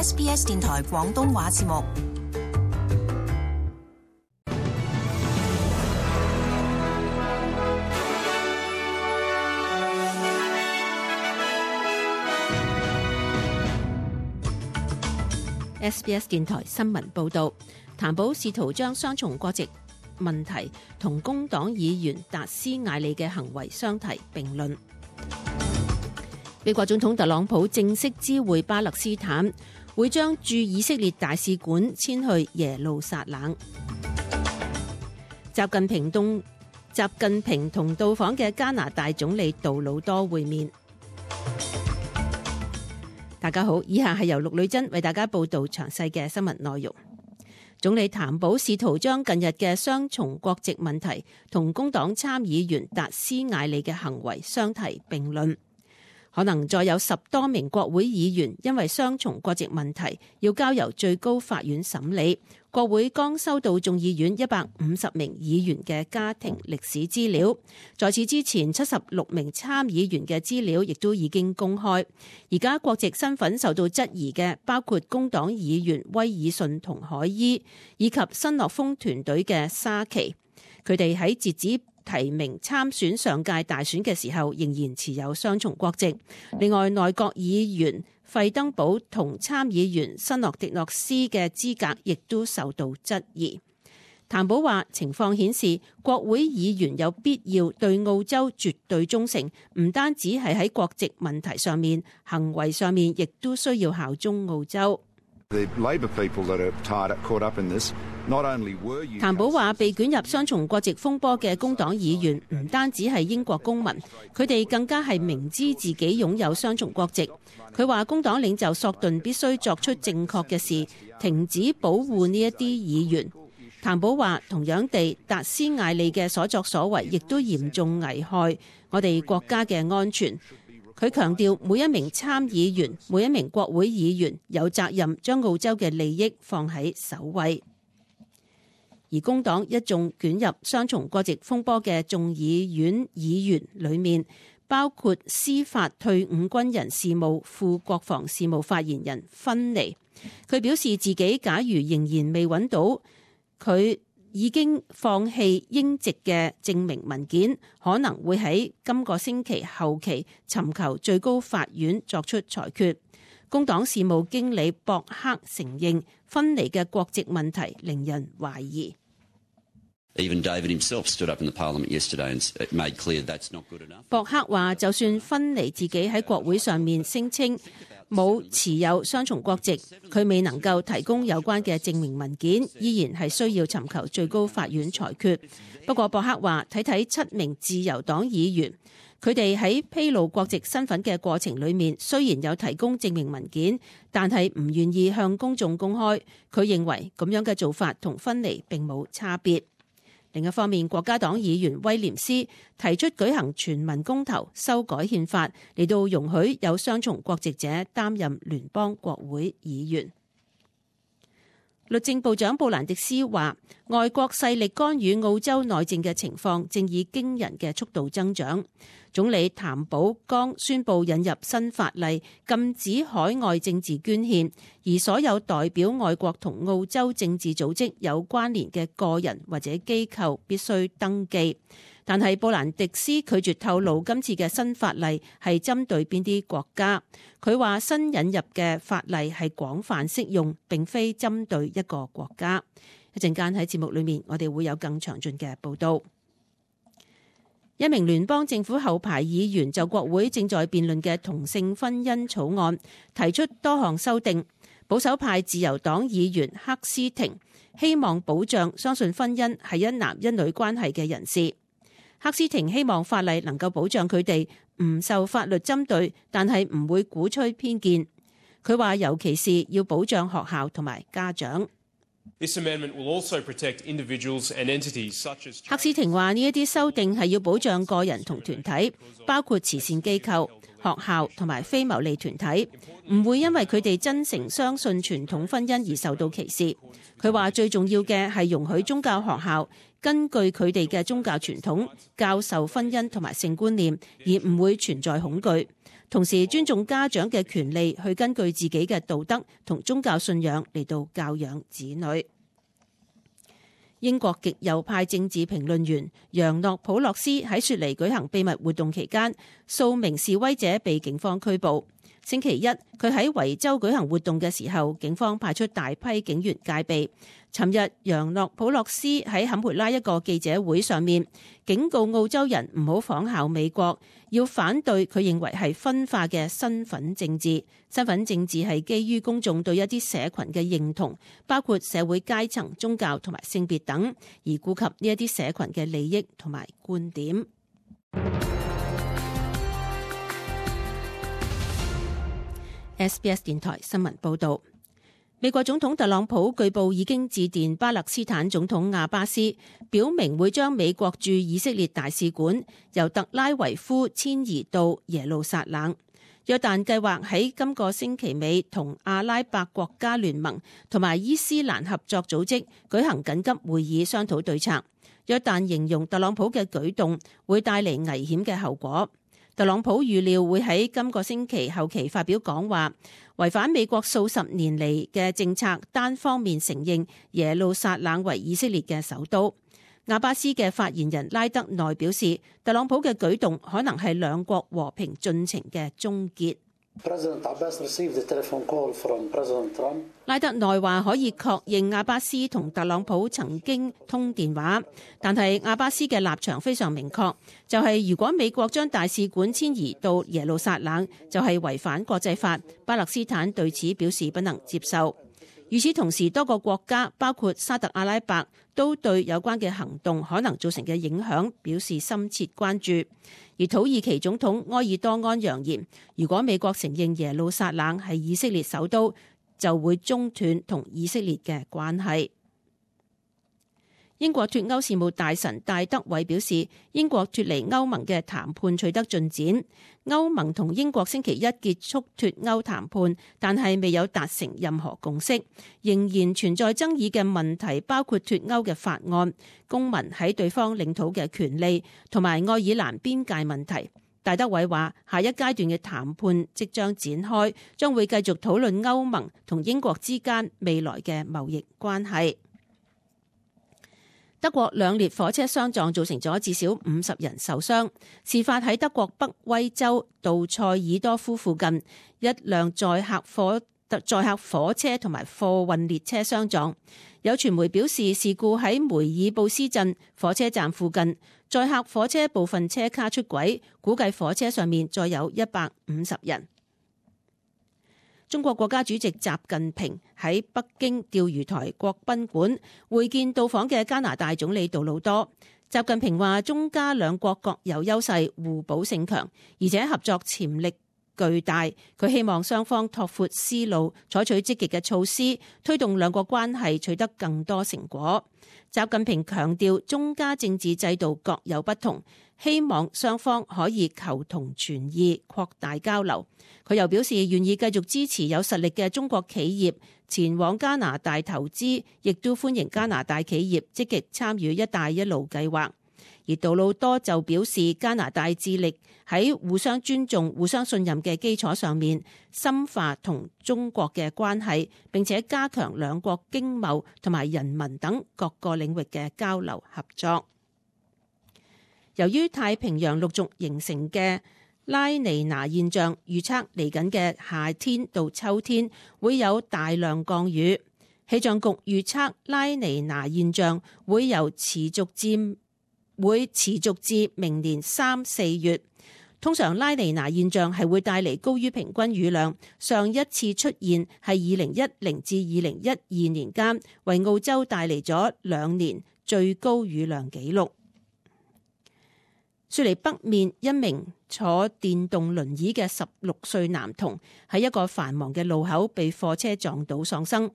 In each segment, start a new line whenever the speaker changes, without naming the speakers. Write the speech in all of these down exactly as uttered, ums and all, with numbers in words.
S B S 電台廣東話節目。
S B S 電台新聞報道，譚寶試圖將雙重國籍問題同工黨議員達斯艾利嘅行為相提並論。美國總統特朗普正式知會巴勒斯坦，會將駐以色列大使館遷去耶路撒冷。習近平同習近平同到訪嘅加拿大總理杜魯多會面。大家好，以下係由陸女珍為大家報道詳細嘅新聞內容。總理譚寶試圖將近日嘅雙重國籍問題同工黨參議員達斯艾利嘅行為相提並論。可能再有十多名國會議員因為雙重國籍問題要交由最高法院審理。國會剛收到眾議院一百五十名議員嘅家庭歷史資料，在此之前七十六名參議員嘅資料亦都已經公開。而家國籍身份受到質疑嘅包括工黨議員威爾遜同海伊，以及新樂豐團隊嘅沙奇。佢哋喺截止提名參選上屆大選嘅時候，仍然持有雙重國籍。另外，內閣議員費登堡同參議員新諾迪諾斯嘅資格亦都受到質疑。譚寶話，情況顯示國會議員有必要對澳洲絕對忠誠，唔單止係喺國籍問題上面，行為上面亦都需要效忠澳洲。譚寶話，被捲入雙重國籍風波嘅工黨議員唔單止係英國公民，佢哋更加係明知自己擁有雙重國籍。佢話工黨領袖索頓必須作出正確嘅事，停止保護呢一啲議員。譚寶話，同樣地，達斯艾利嘅所作所為亦都嚴重危害我哋國家嘅安全。佢強調，每一名參議員、每一名國會議員有責任將澳洲嘅利益放喺首位。而工黨一眾捲入雙重國籍風波嘅眾議院議員裏面，包括司法退伍軍人事務副國防事務發言人芬尼。佢表示自己假如仍然未揾到佢已經放棄英籍嘅證明文件，可能會喺今個星期後期尋求最高法院作出裁決。工黨事務經理博克承認芬尼嘅國籍問題令人懷疑。博克話，就算芬尼自己喺國會上面聲稱冇持有雙重國籍，佢未能夠提供有關嘅證明文件，依然係需要尋求最高法院裁決。不過博克話，睇睇七名自由黨議員，佢哋喺披露國籍身份嘅過程裏面，雖然有提供證明文件，但係唔願意向公眾公開。佢認為咁樣嘅做法同芬尼並冇差別。另一方面，國家黨議員威廉斯提出舉行全民公投修改憲法，嚟到容許有雙重國籍者擔任聯邦國會議員。律政部長布蘭迪斯話，外國勢力干預澳洲內政嘅情況正以驚人嘅速度增長。總理譚寶剛宣布引入新法例，禁止海外政治捐獻，而所有代表外國同澳洲政治組織有關聯嘅個人或者機構必須登記。但係布蘭迪斯拒絕透露今次嘅新法例係針對邊啲國家。佢話新引入嘅法例係廣泛適用，並非針對一個國家。一陣間喺節目裏面，我哋會有更詳盡嘅報導。一名聯邦政府後排議員就國會正在辯論嘅同性婚姻草案提出多項修訂。保守派自由黨議員克斯廷希望保障相信婚姻係一男一女關係嘅人士。克斯廷希望法例能夠保障佢哋唔受法律針對，但係唔會鼓吹偏見。佢話尤其是要保障學校同埋家長。克斯廷話呢一啲修訂係要保障個人同團體，包括慈善機構、學校同埋非牟利團體，唔會因為佢哋真誠相信傳統婚姻而受到歧視。佢話最重要嘅係容許宗教學校根據佢哋嘅宗教傳統教授婚姻同埋性觀念，而唔會存在恐懼。同時尊重家長嘅權利去根據自己嘅道德同宗教信仰嚟到教養子女。英國極右派政治評論員楊諾普洛斯喺雪梨舉行秘密活動期間，數名示威者被警方拘捕。星期一，佢喺維州舉行活動嘅時候，警方派出大批警員戒備。尋日，楊諾普洛斯喺坎培拉一個記者會上面警告澳洲人唔好仿效美國，要反對佢認為係分化嘅身份政治。身份政治係基於公眾對一啲社群嘅認同，包括社會階層、宗教同埋性別等，而顧及呢一啲社群嘅利益同埋觀點。S B S 電台新聞報導，美國總統特朗普據報已經致電巴勒斯坦總統亞巴斯，表明會將美國駐以色列大使館由特拉維夫遷移到耶路撒冷。約旦計劃喺今個星期尾同阿拉伯國家聯盟同埋伊斯蘭合作組織舉行緊急會議商討對策。約旦形容特朗普嘅舉動會帶嚟危險嘅後果。特朗普預料會喺今個星期後期發表講話，違反美國數十年嚟嘅政策，單方面承認耶路撒冷為以色列嘅首都。亞巴斯嘅發言人拉德內表示，特朗普嘅舉動可能係兩國和平進程嘅終結。拉德內話可以確認亞巴斯同特朗普曾經通電話，但係亞巴斯嘅立場非常明確，就係、是、如果美國將大使館遷移到耶路撒冷，就係、是、違反國際法。巴勒斯坦對此表示不能接受。與此同時，多個國家包括沙特阿拉伯都對有關嘅行動可能造成嘅影響表示深切關注。而土耳其總統埃爾多安揚言，如果美國承認耶路撒冷係以色列首都，就會中斷同以色列嘅關係。英國脫歐事務大臣戴德偉表示，英國脫離歐盟嘅談判取得進展。歐盟同英國星期一結束脫歐談判，但係未有達成任何共識，仍然存在爭議嘅問題，包括脫歐嘅法案、公民喺對方領土嘅權利同埋愛爾蘭邊界問題。戴德偉話，下一階段嘅談判即將展開，將會繼續討論歐盟同英國之間未來嘅貿易關係。德國兩列火車相撞，造成咗至少五十人受傷。事發喺德國北威州杜塞爾多夫附近，一輛載客火載客火車同埋貨運列車相撞。有傳媒表示，事故喺梅爾布斯鎮火車站附近，載客火車部分車卡出軌，估計火車上面載有一百五十人。中國國家主席習近平喺北京釣魚台國賓館會見到訪嘅加拿大總理杜魯多。習近平話，中加兩國各有優勢，互補性強，而且合作潛力巨大。佢希望雙方拓闊思路，採取積極嘅措施，推動兩國關係取得更多成果。習近平強調，中加政治制度各有不同，希望雙方可以求同存異，擴大交流。佢又表示願意繼續支持有實力嘅中國企業前往加拿大投資，亦都歡迎加拿大企業積極參與一帶一路計劃。而杜魯多就表示，加拿大致力喺互相尊重、互相信任嘅基礎上面，深化同中國嘅關係，並且加強兩國經貿同埋人民等各個領域嘅交流合作。由於太平洋陸續形成嘅拉尼娜現象，預測嚟緊嘅夏天到秋天會有大量降雨。氣象局預測拉尼娜現象會由持續至會持續至明年三四月。通常拉尼娜現象係會帶嚟高於平均雨量，上一次出現係二零一零至二零一二年間，為澳洲帶嚟咗兩年最高雨量紀錄。雪梨北面一名坐電動輪椅嘅十六歲男童喺一個繁忙嘅路口被貨車撞倒喪生。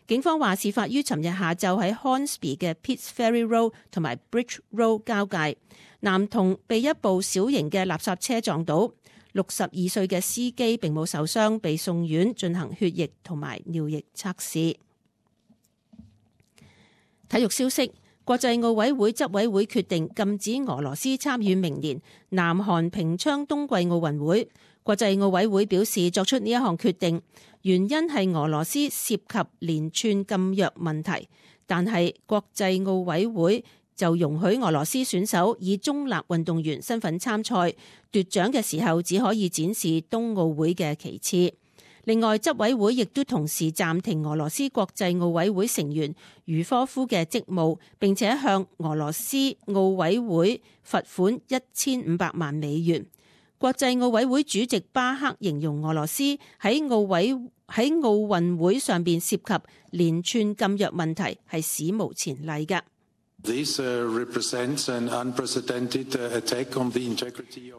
警方話，事發於尋日下晝喺 Hornsby 嘅 Pitts Ferry Road 同埋 Bridge Road 交界。男童被一部小型嘅垃圾車撞倒，六十二歲嘅司機並冇受傷，被送院進行血液同埋尿液測試。體育消息。國際奧委會執委會決定禁止俄羅斯參與明年南韓平昌冬季奧運會。國際奧委會表示，作出呢一項決定原因係俄羅斯涉及連串禁藥問題，但係國際奧委會就容許俄羅斯選手以中立運動員身份參賽，奪獎嘅時候只可以展示冬奧會嘅旗幟。另外，執委會亦都同時暫停俄羅斯國際奧委會成員茹科夫嘅職務，並且向俄羅斯奧委會罰款一千五百萬美元。國際奧委會主席巴克形容俄羅斯喺奧委喺奧運會上邊涉及連串禁藥問題係史無前例嘅。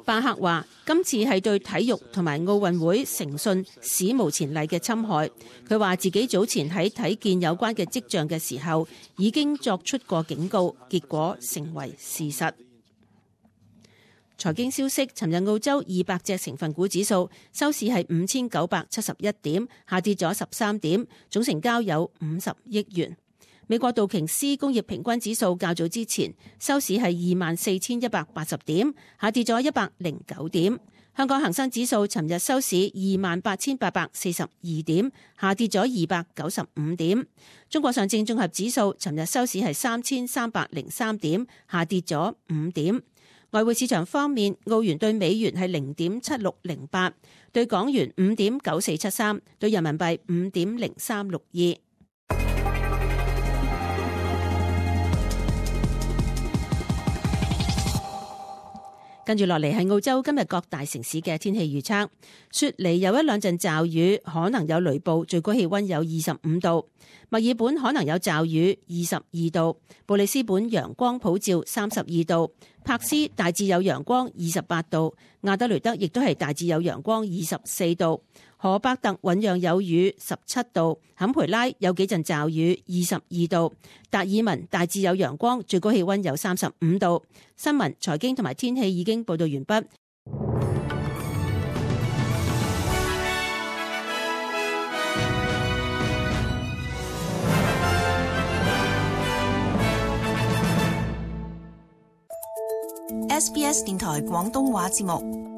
巴克話：今次係對體育同埋奧運會誠信史無前例嘅侵害。佢話自己早前喺睇見有關嘅跡象嘅時候，已經作出過警告，結果成為事實。財經消息：尋日澳洲二百隻成分股指數收市係五千九百七十一點，下跌咗十三點，總成交有五十億元。美國道瓊斯工業平均指數較早之前收市係二萬四千一百八十點，下跌咗一百零九點。香港恒生指數尋日收市二萬八千八百四十二點，下跌咗二百九十五點。中國上證綜合指數尋日收市係三千三百零三點，下跌咗五點。外匯市場方面，澳元對美元係零點七六零八，對港元五點九四七三，對人民幣五點零三六二。跟住落嚟係澳洲今日各大城市嘅天氣預測。雪梨有一兩陣驟雨，可能有雷暴，最高氣溫有二十五度。墨爾本可能有驟雨，二十二度。布里斯本陽光普照，三十二度。柏斯大致有陽光，二十八度。亞德雷德亦都係大致有陽光，二十四度。荷伯特醞釀有雨，十七度。坎培拉有幾陣驟雨，二十二度。達爾文大致有陽光，最高氣溫有三十五度。新聞、財經同埋天氣已經報道完畢。
S B S 電台廣東話節目。